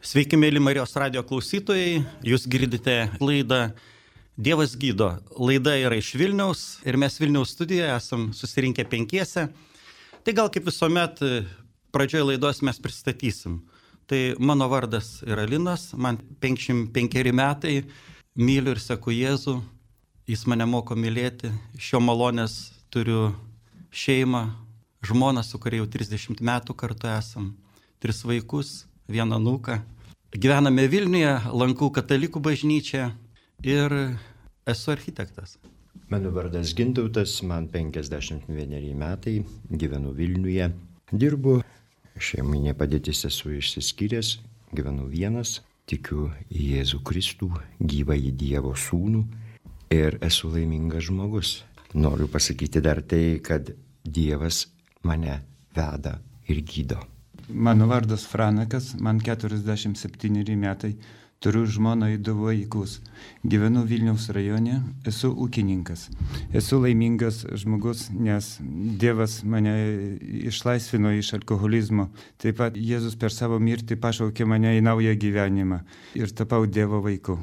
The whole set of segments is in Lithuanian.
Sveiki, mėly Marijos radijo klausytojai, jūs girdite laidą Dievas gydo. Laida yra iš Vilniaus ir mes Vilniaus studijoje esam susirinkę penkiese. Tai gal kaip visuomet pradžioje laidos mes pristatysim. Tai mano vardas yra Linas, man 55 metai, myliu ir seku Jėzų, jis mane moko mylėti, šio malonės turiu šeimą, žmoną, su kuria jau 30 metų kartu esam, 3 vaikus. Vieną anūką. Gyvename Vilniuje, lankau katalikų bažnyčią ir esu architektas. Mano vardas Gintautas, man 51 metai, gyvenu Vilniuje, dirbu, šeiminė padėtis esu išsiskyręs, gyvenu vienas, tikiu į Jėzų Kristų, gyvąjį Dievo sūnų ir esu laimingas žmogus. Noriu pasakyti dar tai, kad Dievas mane veda ir gydo. Mano vardas Franakas, man 47 metai, turiu žmoną ir 2 vaikus. Gyvenu Vilniaus rajone, esu ūkininkas. Esu laimingas žmogus, nes Dievas mane išlaisvino iš alkoholizmo. Taip pat Jėzus per savo mirtį pašaukė mane į naują gyvenimą ir tapau Dievo vaiku.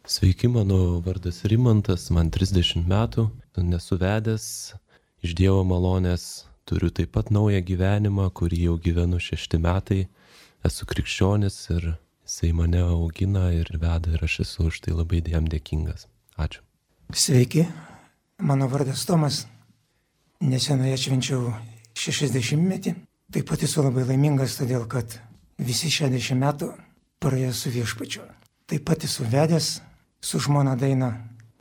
Sveiki, mano vardas Rimantas, man 30 metų, nesu vedęs iš Dievo malonės. Turiu taip pat naują gyvenimą, kurį jau gyvenu 6 metai. Esu krikščionis ir jisai mane augina ir veda ir aš esu už tai labai jam dėkingas. Ačiū. Sveiki, mano vardas Tomas. Neseniai atšvenčiau 60-metį. Taip pat esu labai laimingas, todėl kad visi 60 metų praėjo su Viešpačiu. Taip pat esu vedęs su žmona Daina.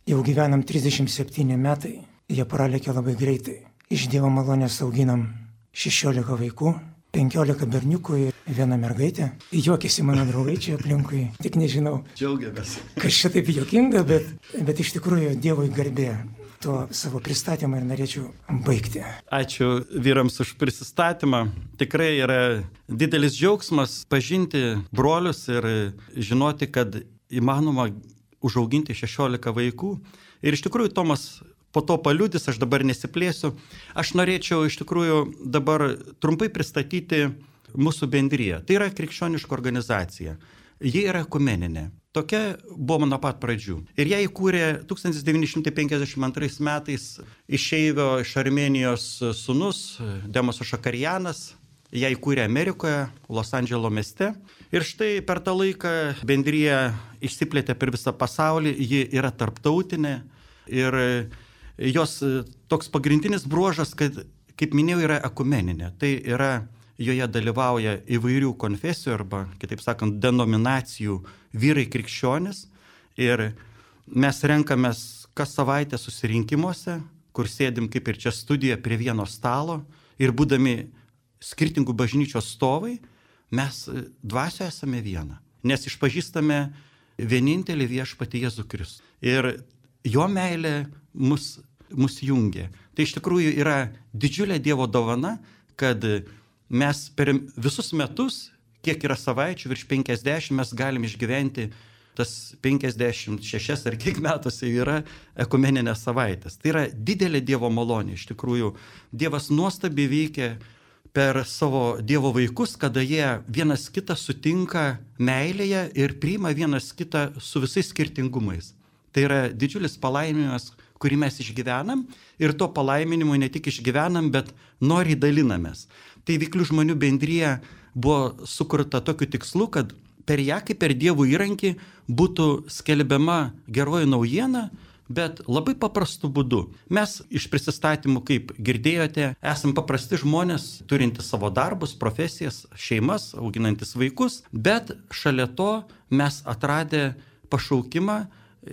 Jau gyvenam 37 metai. Jie pralėkė labai greitai. Iš Dievo malonės auginam 16 vaikų, 15 berniukų ir 1 mergaitę. Juokiasi mano draugai čia aplinkui, tik nežinau. Džiaugiamės. Kas čia taip juokinga, bet iš tikrųjų Dievui garbė tuo savo pristatymą ir norėčiau baigti. Ačiū vyrams už prisistatymą. Tikrai yra didelis džiaugsmas pažinti brolius ir žinoti, kad įmanoma užauginti 16 vaikų. Ir iš tikrųjų Tomas po to paliudys, aš dabar nesiplėsiu. Aš norėčiau iš tikrųjų dabar trumpai pristatyti mūsų bendriją. Tai yra krikščioniška organizacija. Ji yra ekumeninė. Tokia buvo nuo pat pradžių. Ir ją įkūrė 1952 metais išeivio iš Armėnijos sūnus Demosas Šakarianas. Ją įkūrė Amerikoje, Los Andželo mieste. Ir štai per tą laiką bendrija išsiplėtė per visą pasaulį. Ji yra tarptautinė ir jos toks pagrindinis bruožas, kad, kaip minėjau, yra ekumeninė. Tai yra, joje dalyvauja įvairių konfesijų arba, kitaip sakant, denominacijų vyrai krikščionis. Ir mes renkamės kas savaitę susirinkimuose, kur sėdim kaip ir čia studijoje prie vieno stalo. Ir būdami skirtingų bažnyčios stovai, mes dvasioje esame viena. Nes išpažįstame vienintelį viešpatį Jėzų Kristų. Ir jo meilė mus jungia. Tai iš tikrųjų yra didžiulė Dievo dovana, kad mes per visus metus, kiek yra savaičių, virš 50, mes galim išgyventi tas 56 ar kiek metuose yra ekumeninės savaitės. Tai yra didelė Dievo malonė. Iš tikrųjų, Dievas nuostabiai veikia per savo Dievo vaikus, kada jie vienas kitą sutinka meilėje ir priima vienas kitą su visais skirtingumais. Tai yra didžiulis palaiminimas, kurį mes išgyvenam ir to palaiminimu ne tik išgyvenam, bet noriai dalinamės. Tai Veiklių žmonių bendrija buvo sukurta tokiu tikslu, kad per ją, kaip per Dievo įrankį, būtų skelbiama geroji naujiena, bet labai paprastu būdu. Mes iš prisistatymų, kaip girdėjote, esame paprasti žmonės, turintys savo darbus, profesijas, šeimas, auginantis vaikus, bet šalia to mes atradę pašaukimą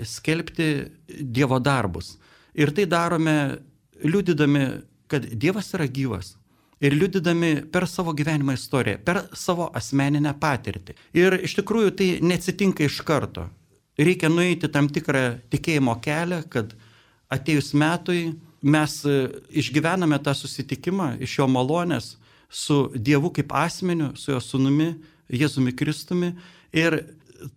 skelbti Dievo darbus. Ir tai darome liudydami, kad Dievas yra gyvas. Ir liudydami per savo gyvenimo istoriją, per savo asmeninę patirtį. Ir iš tikrųjų tai neatsitinka iš karto. Reikia nueiti tam tikrą tikėjimo kelią, kad atėjus metui mes išgyvename tą susitikimą iš jo malonės su Dievu kaip asmeniu, su jo sūnumi, Jėzumi Kristumi. Ir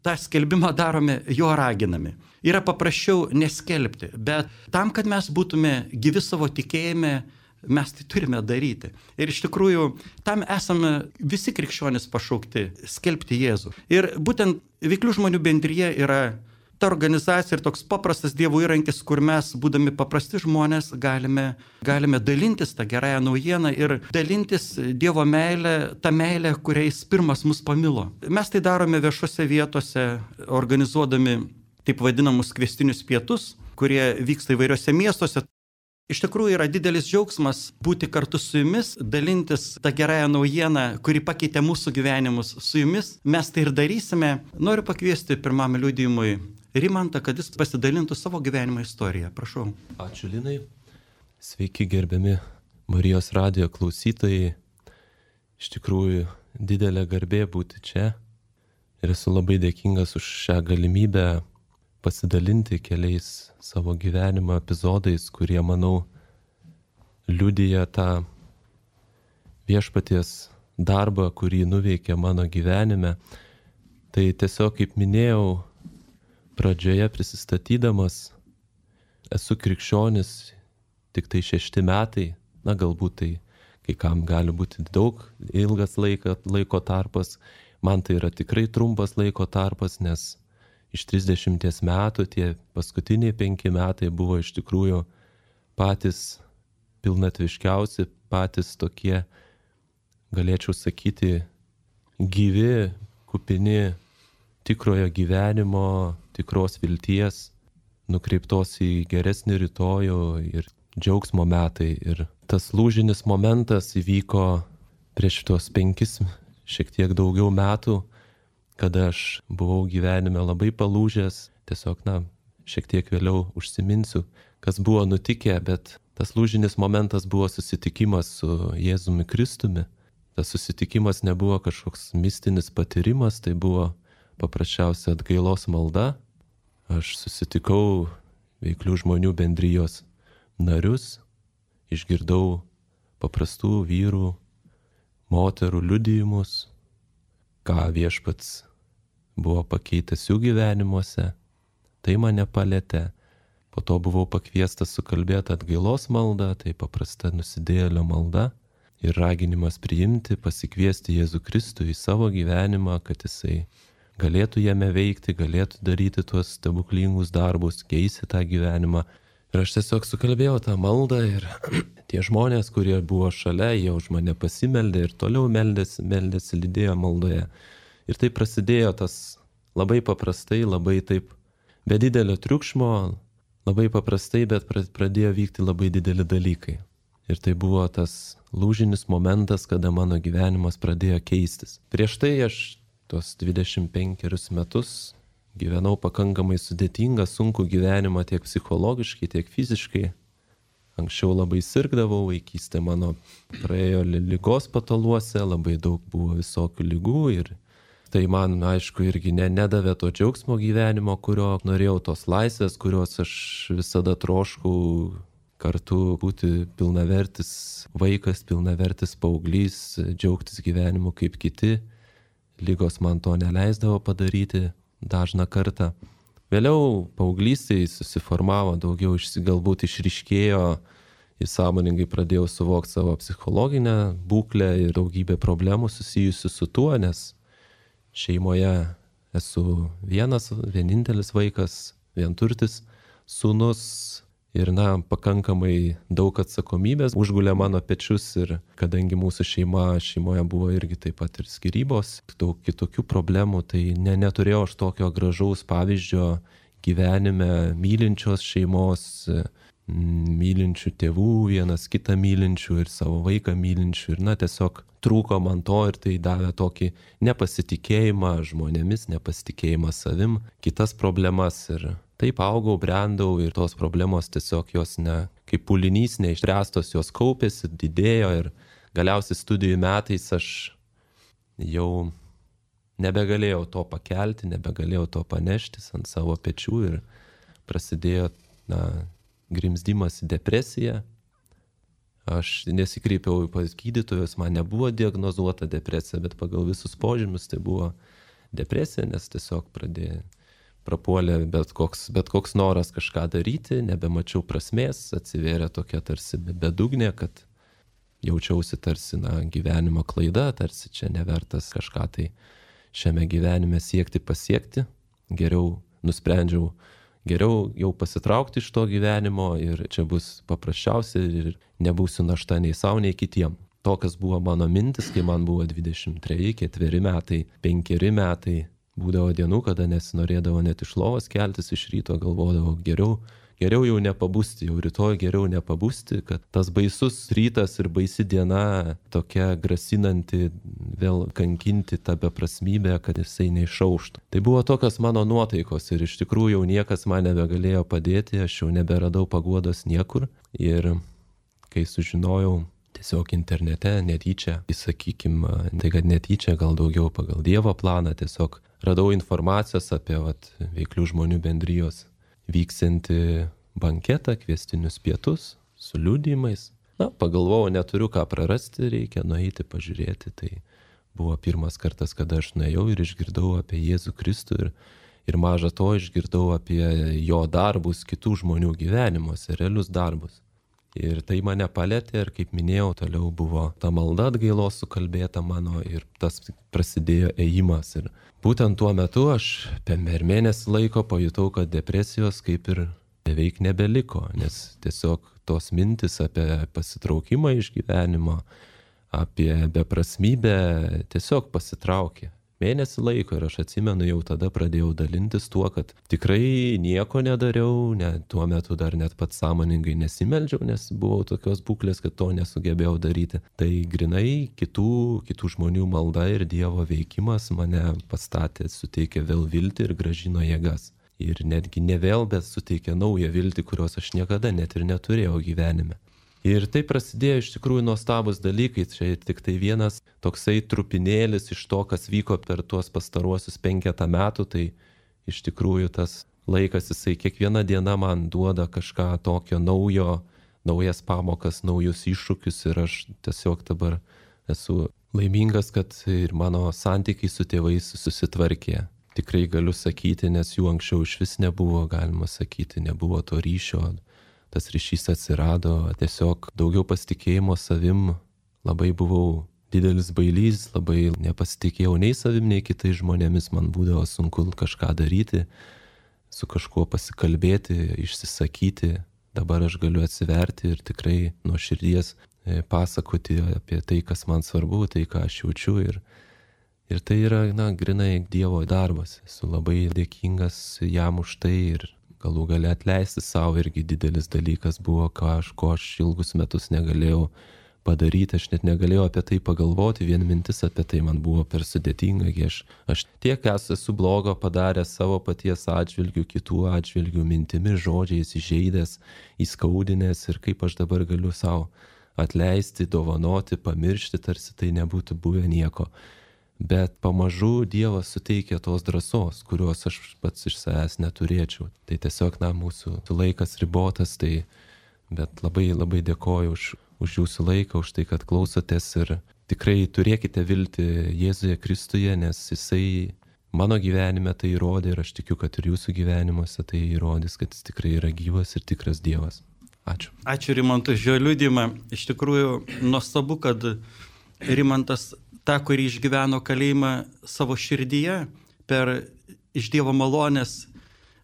tą skelbimą darome jo raginami. Yra paprasčiau neskelbti, bet tam, kad mes būtume gyvi savo tikėjime, mes tai turime daryti. Ir iš tikrųjų, tam esame visi krikščionys pašaukti - skelbti Jėzų. Ir būtent Veiklių žmonių bendrija yra ta organizacija ir toks paprastas Dievo įrankis, kur mes, būdami paprasti žmonės, galime dalintis tą gerąją naujieną ir dalintis Dievo meilę, tą meilę, kuriais pirmas mus pamilo. Mes tai darome viešose vietose, organizuodami taip vadinamus kviestinius pietus, kurie vyksta įvairiose miestuose. Iš tikrųjų yra didelis džiaugsmas būti kartu su jumis, dalintis tą gerąją naujieną, kuri pakeitė mūsų gyvenimus su jumis. Mes tai ir darysime. Noriu pakviesti pirmam liudijimui Rimantą, kad jis pasidalintų savo gyvenimo istoriją. Prašau. Ačiū, Linai. Sveiki, gerbiami Marijos radijo klausytojai. Iš tikrųjų, didelė garbė būti čia. Ir esu labai dėkingas už šią galimybę pasidalinti keliais savo gyvenimo epizodais, kurie, manau, liudija tą viešpaties darbą, kurį nuveikė mano gyvenime. Tai tiesiog, kaip minėjau, pradžioje prisistatydamas, esu krikščionis tik tai 6 metai, na galbūt tai kai kam gali būti daug, ilgas laiko tarpas, man tai yra tikrai trumpas laiko tarpas, nes iš 30 metų tie paskutiniai 5 metai buvo iš tikrųjų patys pilnatviškiausi, patys tokie, galėčiau sakyti, gyvi, kupini tikrojo gyvenimo, tikros vilties, nukreiptos į geresnį rytojų ir džiaugsmo metai. Ir tas lūžinis momentas įvyko prieš tuos 5, šiek tiek daugiau metų, kada aš buvau gyvenime labai palūžęs, tiesiog, šiek tiek vėliau užsiminsiu, kas buvo nutikę, bet tas lūžinis momentas buvo susitikimas su Jėzumi Kristumi. Tas susitikimas nebuvo kažkoks mistinis patyrimas, tai buvo paprasčiausia atgailos malda. Aš susitikau Veiklių žmonių bendrijos narius, išgirdau paprastų vyrų, moterų liudijimus, ką viešpats buvo pakeitęs jų gyvenimuose, tai mane palėtė. Po to buvau pakviestas sukalbėti atgailos maldą, tai paprasta nusidėjėlio malda ir raginimas priimti, pasikviesti Jėzų Kristų į savo gyvenimą, kad jisai galėtų jame veikti, galėtų daryti tuos stebuklingus darbus, keisti tą gyvenimą. Ir aš tiesiog sukalbėjau tą maldą ir tie žmonės, kurie buvo šalia, jie už mane pasimeldė ir toliau meldėsi, lydėjo maldoje. Ir tai prasidėjo tas labai paprastai, labai taip, be didelio triukšmo, labai paprastai, bet pradėjo vykti labai dideli dalykai. Ir tai buvo tas lūžinis momentas, kada mano gyvenimas pradėjo keistis. Prieš tai aš tuos 25 metus gyvenau pakankamai sudėtingą, sunkų gyvenimą tiek psichologiškai, tiek fiziškai. Anksčiau labai sirgdavau, vaikystė mano praėjo ligos pataluose, labai daug buvo visokių ligų ir tai man, aišku, irgi nedavė to džiaugsmo gyvenimo, kurio norėjau, tos laisvės, kurios aš visada troškau, kartu būti pilnavertis vaikas, pilnavertis paauglys, džiaugtis gyvenimu kaip kiti. Ligos man to neleisdavo padaryti dažną kartą. Vėliau paauglystėje susiformavo daugiau, galbūt išryškėjo ir sąmoningai pradėjau suvokti savo psichologinę būklę ir daugybę problemų susijusių su tuo, nes šeimoje esu vienintelis vaikas, vienturtis sūnus ir pakankamai daug atsakomybės užgulė mano pečius ir kadangi mūsų šeimoje buvo irgi taip pat ir skyrybos, daug kitokių problemų, tai neturėjau aš tokio gražaus pavyzdžio gyvenime, mylinčios šeimos, mylinčių tėvų, vienas kitą mylinčių ir savo vaiką mylinčių ir tiesiog trūko man to ir tai davė tokį nepasitikėjimą žmonėmis, nepasitikėjimą savim, kitas problemas ir taip augau, brendau ir tos problemos tiesiog jos kaip pūlinys neišspręstos, jos kaupėsi, didėjo ir galiausiai studijų metais aš jau nebegalėjau to pakelti, nebegalėjau to paneštis ant savo pečių ir prasidėjo grimzdimas į depresiją. Aš nesikreipiau pas gydytojus, man nebuvo diagnozuota depresija, bet pagal visus požymius tai buvo depresija, nes tiesiog prapuolė bet koks noras kažką daryti, nebemačiau prasmės, atsivėrė tokia tarsi bedugnė, kad jaučiausi tarsi, gyvenimo klaida, tarsi čia nevertas kažką tai šiame gyvenime siekti pasiekti. Nusprendžiau geriau jau pasitraukti iš to gyvenimo ir čia bus paprasčiausia ir nebūsiu našta nei savo, nei kitiem. Tokios buvo mano mintis, kai man buvo 23, 4 metai, 5 metai. Būdavo dienų, kada nesinorėdavo net iš lovos keltis iš ryto, galvodavau geriau jau nepabusti, jau rytoj geriau nepabusti, kad tas baisus rytas ir baisi diena tokia grasinanti vėl kankinti tą beprasmybę, kad jisai neišauštų. Tai buvo tokios mano nuotaikos ir iš tikrųjų jau niekas man nebegalėjo padėti, aš jau neberadau paguodos niekur ir kai sužinojau tiesiog internete netyčia, sakykim, tai kad netyčia, gal daugiau pagal Dievo planą, tiesiog radau informacijos apie veiklių žmonių bendrijos vyksianti banketą, kviestinius pietus su liudijimais. Pagalvojau, neturiu ką prarasti, reikia nueiti pažiūrėti. Tai buvo pirmas kartas, kada aš nuėjau ir išgirdau apie Jėzų Kristų ir maža to išgirdau apie jo darbus kitų žmonių gyvenimuose, realius darbus. Ir tai mane palėtė ir, kaip minėjau, toliau buvo ta malda atgailos sukalbėta mano ir tas prasidėjo ėjimas. Ir būtent tuo metu aš per mėnesį laiko pajutau, kad depresijos kaip ir beveik nebeliko, nes tiesiog tos mintis apie pasitraukimą iš gyvenimo, apie beprasmybę tiesiog pasitraukė. Mėnesį laiko ir aš atsimenu, jau tada pradėjau dalintis tuo, kad tikrai nieko nedariau, tuo metu dar net pats sąmoningai nesimeldžiau, nes buvau tokios būklės, kad to nesugebėjau daryti. Tai grinai kitų žmonių malda ir Dievo veikimas mane pastatė, suteikė vėl viltį ir grąžino jėgas. Ir netgi ne vėl, bet suteikė naują viltį, kurios aš niekada net ir neturėjau gyvenime. Ir tai prasidėjo iš tikrųjų nuostabus dalykai, čia tik tai vienas toksai trupinėlis iš to, kas vyko per tuos pastaruosius 5 metų, tai iš tikrųjų tas laikas, jisai kiekviena diena man duoda kažką tokio naujas pamokas, naujus iššūkius ir aš tiesiog dabar esu laimingas, kad ir mano santykiai su tėvais susitvarkė. Tikrai galiu sakyti, nes jų anksčiau iš vis nebuvo, galima sakyti, nebuvo to ryšio. Tas ryšys atsirado, tiesiog daugiau pasitikėjimo savim, labai buvau didelis bailys, labai nepasitikėjau nei savim, nei kitais žmonėmis, man būdavo sunku kažką daryti, su kažkuo pasikalbėti, išsisakyti. Dabar aš galiu atsiverti ir tikrai nuo širdies pasakoti apie tai, kas man svarbu, tai, ką aš jaučiu ir tai yra, grinai Dievo darbas. Esu labai dėkingas jam už tai ir galų gale atleisti savo irgi didelis dalykas buvo, ko aš ilgus metus negalėjau padaryti, aš net negalėjau apie tai pagalvoti, vien mintis apie tai man buvo per sudėtinga, aš tiek esu blogo padaręs savo paties atžvilgių, kitų atžvilgių, mintimis, žodžiais, įžeidęs, įskaudinęs ir kaip aš dabar galiu savo atleisti, dovanoti, pamiršti, tarsi tai nebūtų buvę nieko. Bet pamažu Dievas suteikia tos drąsos, kurios aš pats iš savęs neturėčiau. Tai tiesiog, mūsų laikas ribotas, bet labai labai dėkoju už jūsų laiką, už tai, kad klausotės ir tikrai turėkite viltį Jėzuje Kristuje, nes jisai mano gyvenime tai įrodė ir aš tikiu, kad ir jūsų gyvenimuose tai įrodys, kad jis tikrai yra gyvas ir tikras Dievas. Ačiū. Ačiū Rimantui už jo liudijimą. Iš tikrųjų, nuostabu, kad Rimantas tą, kurį išgyveno kalėjimą savo širdyje, iš Dievo malonės,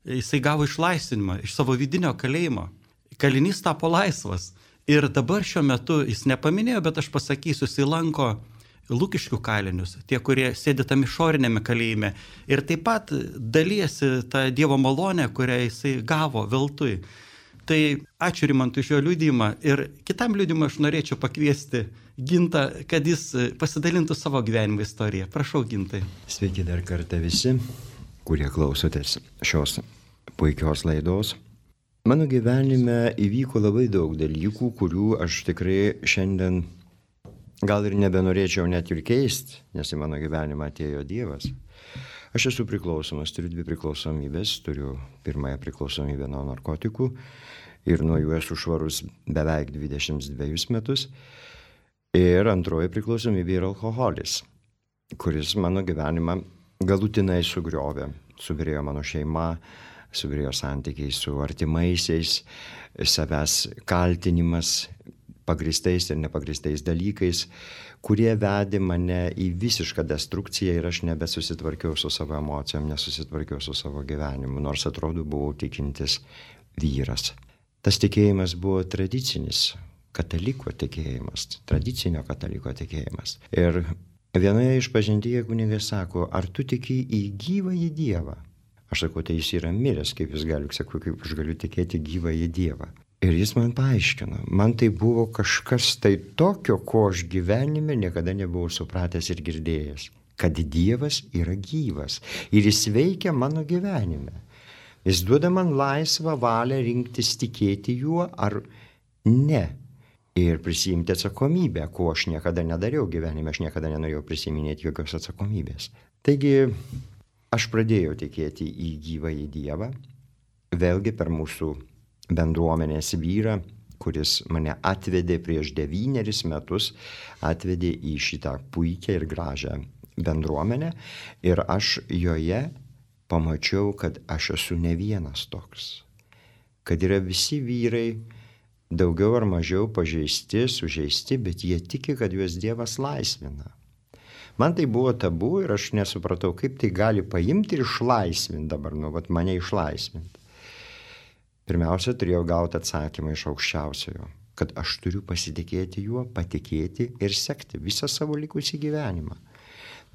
jisai gavo išlaisvinimą iš savo vidinio kalėjimo. Kalinys tapo laisvas. Ir dabar šiuo metu, jis nepaminėjo, bet aš pasakysiu, jisai lanko Lukiškių kalinius, tie, kurie sėdi tam išorinėme kalėjime. Ir taip pat dalyjasi tą Dievo malonę, kurią jisai gavo veltui. Tai ačiū Rimantui už jo liudijimą ir kitam liudijimui aš norėčiau pakviesti Gintą, kad jis pasidalintų savo gyvenimo istoriją. Prašau, Gintai. Sveiki dar kartą visi, kurie klausotės šios puikios laidos. Mano gyvenime įvyko labai daug dalykų, kurių aš tikrai šiandien gal ir nebenorėčiau net ir keisti, nes į mano gyvenimą atėjo Dievas. Aš esu priklausomas, turiu 2 priklausomybės, turiu pirmąją priklausomybę nuo narkotikų ir nuo jų esu švarus beveik 22 metus. Ir antroji priklausomybė yra alkoholis, kuris mano gyvenimą galutinai sugriovė. Subirėjo mano šeima, subirėjo santykiai su artimaisiais, savęs kaltinimas, pagrįstais ir nepagrįstais dalykais, kurie vedė mane į visišką destrukciją ir aš nebesusitvarkiau su savo emocijom, nesusitvarkiau su savo gyvenimu, nors atrodo buvau tikintis vyras. Tas tikėjimas buvo tradicinis kataliko tikėjimas, tradicinio kataliko tikėjimas. Ir vienoje išpažintyje kunigas sako, ar tu tiki į gyvąjį Dievą? Aš sakau, tai jis yra miręs, kaip jis gali, sakau, kaip aš galiu tikėti gyvąjį Dievą. Ir jis man paaiškino, man tai buvo kažkas tai tokio, ko aš gyvenime niekada nebuvau supratęs ir girdėjęs, kad Dievas yra gyvas ir jis veikia mano gyvenime. Jis duoda man laisvą valią rinktis tikėti juo ar ne ir prisiimti atsakomybę, ko aš niekada nedariau gyvenime, aš niekada nenorėjau prisiminėti jokios atsakomybės. Taigi aš pradėjau tikėti į gyvąjį Dievą, vėlgi per mūsų bendruomenės vyrą, kuris mane atvedė prieš 9 metus, atvedė į šitą puikią ir gražią bendruomenę ir aš joje pamačiau, kad aš esu ne vienas toks, kad yra visi vyrai daugiau ar mažiau pažeisti, sužeisti, bet jie tiki, kad juos Dievas laisvina. Man tai buvo tabu ir aš nesupratau, kaip tai gali paimti ir išlaisvinti dabar, mane išlaisvinti. Pirmiausia, turėjau gauti atsakymą iš aukščiausiojo, kad aš turiu pasitikėti juo, patikėti ir sekti visą savo likusį gyvenimą.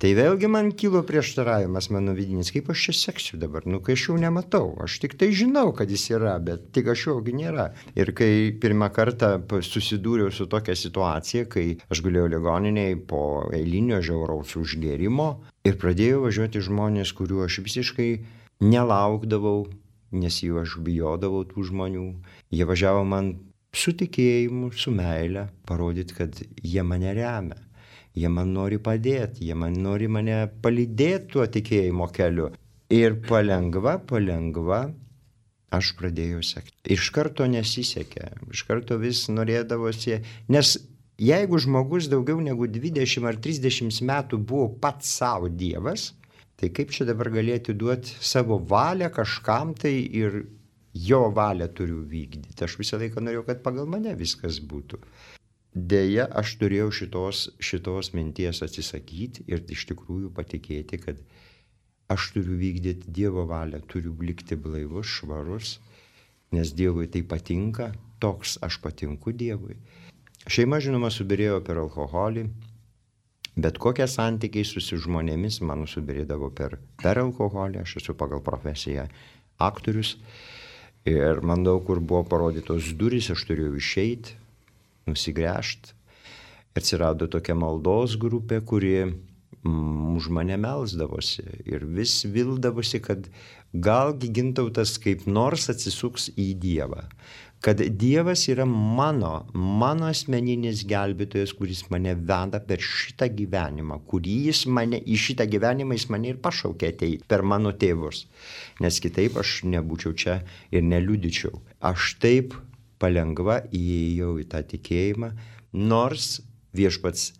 Tai vėlgi man kilo prieštaravimas mano vidinis, kaip aš čia seksiu dabar, kai aš jau nematau, aš tik tai žinau, kad jis yra, bet tik aš jaugi nėra. Ir kai pirmą kartą susidūriau su tokia situacija, kai aš gulėjau ligoninėje po eilinio žiauraus užgėrimo ir pradėjau važiuoti žmonės, kurių aš visiškai nelaukdavau, nes jų aš bijodavau tų žmonių. Jie važiavo man su tikėjimu, su meile, parodyti, kad jie mane remia. Jie man nori padėti, jie nori mane palydėti tuo tikėjimo keliu. Ir palengva aš pradėjau sekti. Iš karto nesisekė, iš karto vis norėdavosi, nes jeigu žmogus daugiau negu 20 ar 30 metų buvo pats savo Dievas, tai kaip čia dabar galėtų duoti savo valią kažkam tai ir jo valią turiu vykdyti. Aš visą laiką norėjau, kad pagal mane viskas būtų. Deja, aš turėjau šitos minties atsisakyti ir iš tikrųjų patikėti, kad aš turiu vykdyti Dievo valią, turiu likti blaivus, švarus, nes Dievui tai patinka, toks aš patinku Dievui. Šeima, žinoma, subirėjo per alkoholį, bet kokie santykiai su žmonėmis mano subirėdavo per alkoholį, aš esu pagal profesiją aktorius ir man daug kur buvo parodytos durys, aš turėjau išeiti, nusigręžti. Atsirado tokia maldos grupė, kuri už mane melsdavosi ir vis vildavosi, kad galgi Gintautas kaip nors atsisuks į Dievą. Kad Dievas yra mano asmeninis gelbėtojas, kuris mane veda per šitą gyvenimą, į šitą gyvenimą jis mane ir pašaukė ateiti per mano tėvus. Nes kitaip aš nebūčiau čia ir neliudyčiau. Aš taip palengva įėjau į tą tikėjimą, nors Viešpats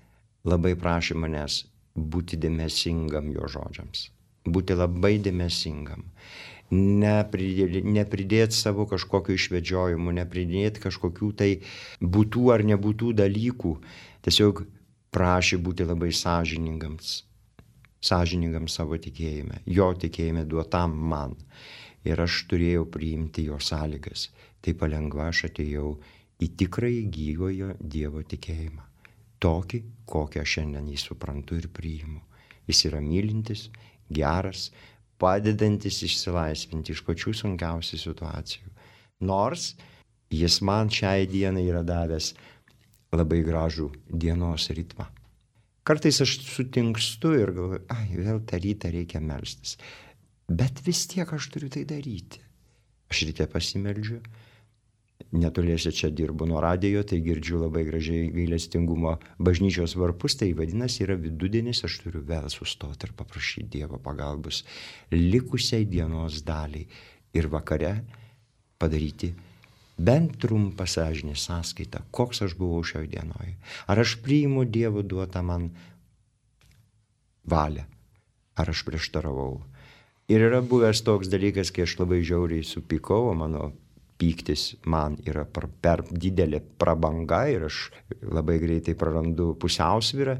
labai prašė manęs būti dėmesingam jo žodžiams. Būti labai dėmesingam. Nepridėti savo kažkokio išvedžiojimų, nepridėti kažkokių tai būtų ar nebūtų dalykų. Tiesiog prašė būti labai sąžiningam savo tikėjime, jo tikėjime duotam man. Ir aš turėjau priimti jo sąlygas. Tai palengva aš atėjau į tikrąjį gyvojo Dievo tikėjimą. Tokį, kokią aš šiandien jį suprantu ir priimu. Jis yra mylintis, geras, padedantis išsilaisvinti iš pačių sunkiausių situacijų. Nors jis man šiai dienai yra davęs labai gražų dienos ritmą. Kartais aš sutinkstu ir galvoju, vėl tą rytą reikia melstis. Bet vis tiek aš turiu tai daryti. Aš ryte pasimeldžiu, netoliese čia dirbu nuo radijo, tai girdžiu labai gražiai gailestingumo bažnyčios varpus, tai vadinasi yra vidudienis, aš turiu vėl sustoti ir paprašyti Dievo pagalbos likusiai dienos daliai ir vakare padaryti bent trumpą sąžinės sąskaitą, koks aš buvau šioje dienoje. Ar aš priimu Dievo duotą man valią, ar aš prieštaravau. Ir yra buvęs toks dalykas, kai aš labai žiauriai supykau, mano pyktis man yra per didelė prabanga ir aš labai greitai prarandu pusiausvyrą,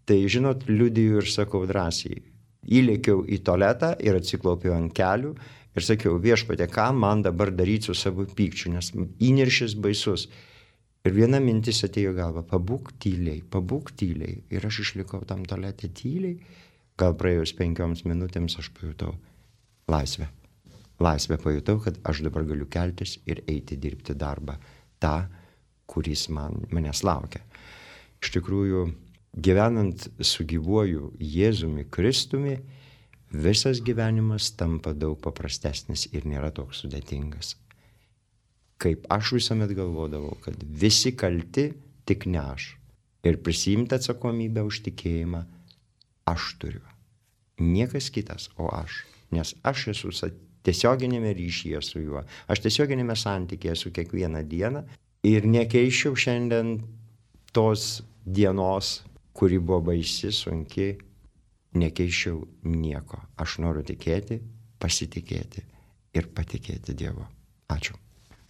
tai, žinot, liudiju ir sakau drąsiai. Įlėkiau į tualetą ir atsiklaupiau ant kelių ir sakiau, Viešpatie, ką man dabar daryti su savo pykčiu, nes įniršis baisus. Ir viena mintis atėjo galva, pabūk tyliai. Ir aš išlikau tam tualete tyliai. Gal praėjus 5 minutėms aš pajutau laisvę. Laisvę pajutau, kad aš dabar galiu keltis ir eiti dirbti darbą. tą, kuris manęs laukia. Iš tikrųjų, gyvenant su gyvuoju Jėzumi Kristumi, visas gyvenimas tampa daug paprastesnis ir nėra toks sudėtingas. Kaip aš visuomet galvodavau, kad visi kalti, tik ne aš. Ir prisimti atsakomybę už tikėjimą aš turiu. Niekas kitas, o aš. Nes aš esu tiesioginėme ryšyje su juo. Aš tiesioginėme santykėje su kiekvieną dieną ir nekeičiau šiandien tos dienos, kuri buvo baisi, sunki, nekeičiau nieko. Aš noriu tikėti, pasitikėti ir patikėti Dievu. Ačiū.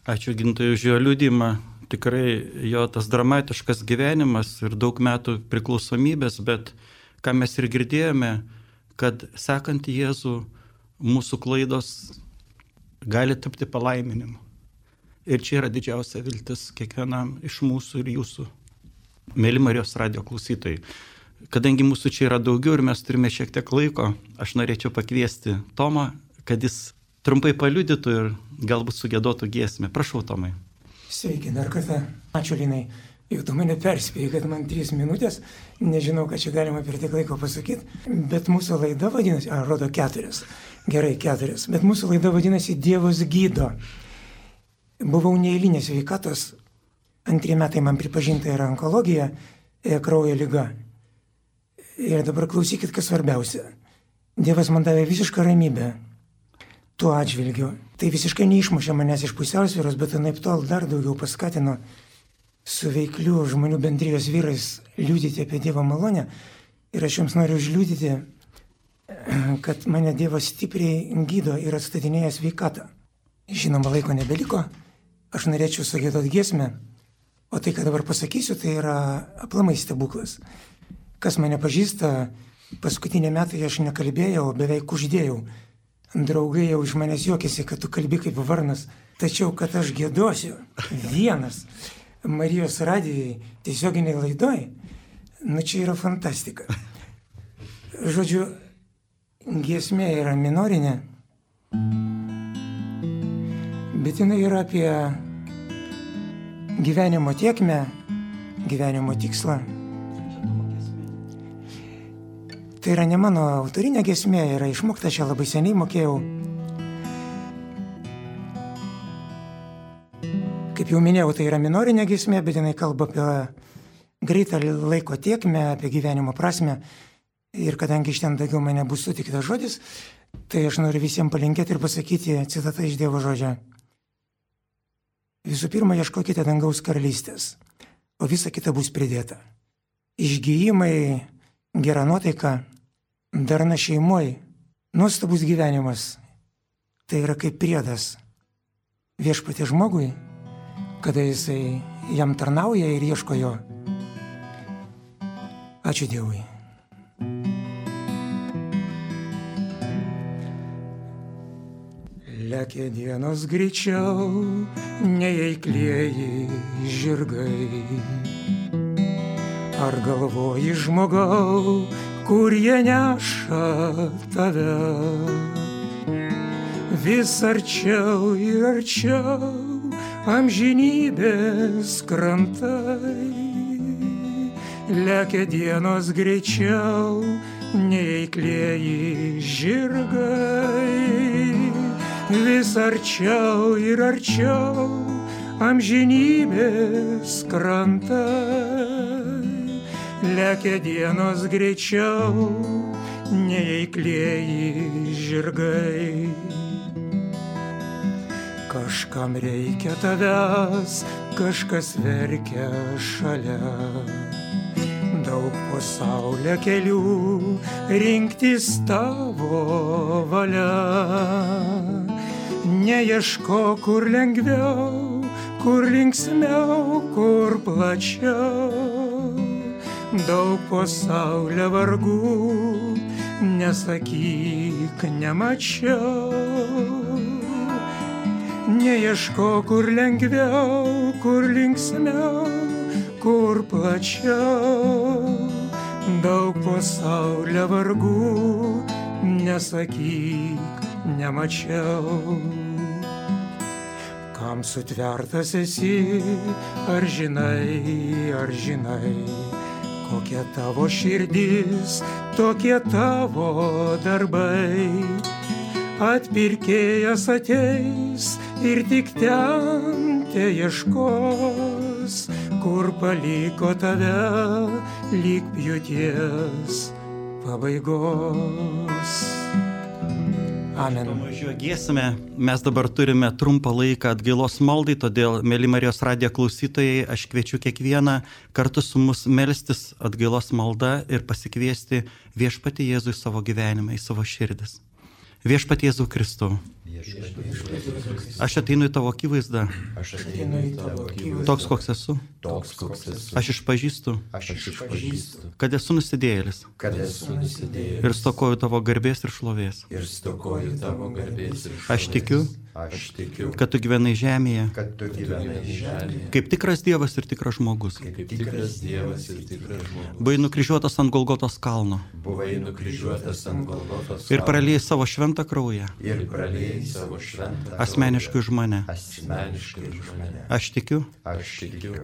Ačiū Gintai už jo liudymą. Tikrai jo tas dramatiškas gyvenimas ir daug metų priklausomybės, bet ką mes ir girdėjome, kad sekant Jėzų mūsų klaidos gali tapti palaiminimu. Ir čia yra didžiausia viltis kiekvienam iš mūsų ir jūsų, mėly Marijos radijo klausytojai. Kadangi mūsų čia yra daugiau ir mes turime šiek tiek laiko, aš norėčiau pakviesti Tomą, kad jis trumpai paliudytų ir galbūt sugiedotų giesmę. Prašau, Tomai. Sveiki, dar kartą. Ačiū, Linai. Jau tu mane perspėjai, kad man 3 minutės. Nežinau, ką čia galima per tiek laiko pasakyti. Bet mūsų laida vadinasi, rodo 4. Gerai, 4. Bet mūsų laida vadinasi Dievas gydo. Buvau neeilinės sveikatos. 2 metai man pripažinta yra onkologija, kraujo liga. Ir dabar klausykit, kas svarbiausia. Dievas man davė visišką ramybę. Tuo atžvilgiu. Tai visiškai neišmušė manęs iš pusiausvyros, bet anaip tol dar daugiau paskatino su veikliu žmonių bendrijos vyrais liudyti apie Dievo malonę. Ir aš jums noriu užliudyti, kad mane Dievas stipriai gydo ir atstatinėja sveikatą. Žinoma, laiko nebeliko. Aš norėčiau sugiedoti giesmę. O tai, ką dabar pasakysiu, tai yra aplamai stebuklas. Kas mane pažįsta, paskutinį metą aš nekalbėjau, beveik uždėjau. Draugai jau iš manęs juokėsi, kad tu kalbi kaip varnas, tačiau kad aš giedosiu vienas Marijos radijai tiesioginiai laidoj, čia yra fantastika. Žodžiu, giesmė yra minorinė, bet jinai yra apie gyvenimo tėkmę, gyvenimo tikslą. Tai yra ne mano autorinė giesmė, yra išmokta, aš ją labai seniai mokėjau. Kaip jau minėjau, tai yra minorinė giesmė, bet jinai kalba apie greitą laiko tėkmę, apie gyvenimo prasmę. Ir kadangi iš ten daugiau man nebus sutiktas žodis, tai aš noriu visiems palinkėti ir pasakyti citatą iš Dievo žodžio. Visų pirma, ieškokite dangaus karalystės, o visa kita bus pridėta. Išgijimai, gera nuotaika, darna šeimoj, nuostabus gyvenimas. Tai yra kaip priedas Viešpatie žmogui, kada jisai jam tarnauja ir ieško jo. Ačiū Dievui. Lekia dienos greičiau, neįklieji žirgai. Ar galvoji žmogau, kur jie neša tave? Vis arčiau ir arčiau amžinybės krantai. Lekia dienos greičiau, neįklieji žirgai. Vis arčiau ir arčiau amžinybės krantai. Lekia dienos greičiau, neįklieji žirgai. Kažkam reikia tavęs, kažkas verkia šalia. Daug po saulę kelių, rinktis tavo valia. Neieško, kur lengviau, kur linksmiau, kur plačiau. Daug pasaulio vargų, nesakyk, nemačiau. Neieško, kur lengviau, kur linksmiau, kur plačiau. Daug pasaulio vargų, nesakyk, nemačiau. Kam sutvertas esi, ar žinai, kokia tavo širdis, tokie tavo darbai. Atpirkėjas ateis ir tik ten te ieškos, kur paliko tave lyg pjūties pabaigos. Amen. Pamažu giesime, mes dabar turime trumpą laiką atgailos maldai, todėl, mėly Marijos radijo klausytojai, aš kviečiu kiekvieną kartu su mus melstis atgailos malda ir pasikviesti Viešpatį Jėzų į savo gyvenimą, į savo širdis. Viešpatie Jėzau Kristau, aš ateinu į tavo akivaizdą, toks koks esu, aš išpažįstu, kad esu nusidėjėlis ir stokoju tavo garbės ir šlovės. Aš tikiu, kad tu gyvenai žemėje, kaip tikras Dievas ir tikras žmogus. Buvai nukryžiuotas ant Golgotos kalno ir praliejai savo šventą kraują asmeniškai už mane. Aš tikiu,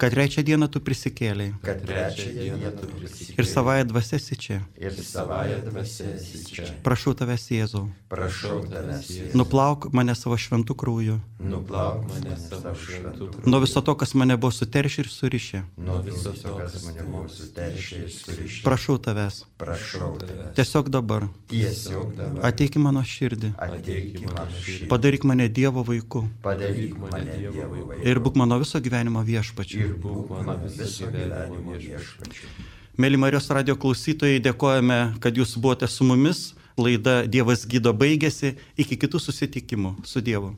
kad trečią dieną tu prisikėlei ir savąją dvasią esi čia. Prašau tavęs, Jėzau, nuplauk mane savo šventų krauju, nuo viso to, kas mane buvo suteršę ir surišę. Prašau tavęs, tiesiog dabar ateik į mano širdį, padaryk mane Dievo vaiku ir būk mano viso gyvenimo viešpačiu. Mėly Marijos radijo klausytojai, dėkojame, kad jūs buvote su mumis. Laida Dievas gydo baigėsi. Iki kitų susitikimų. Su Dievu.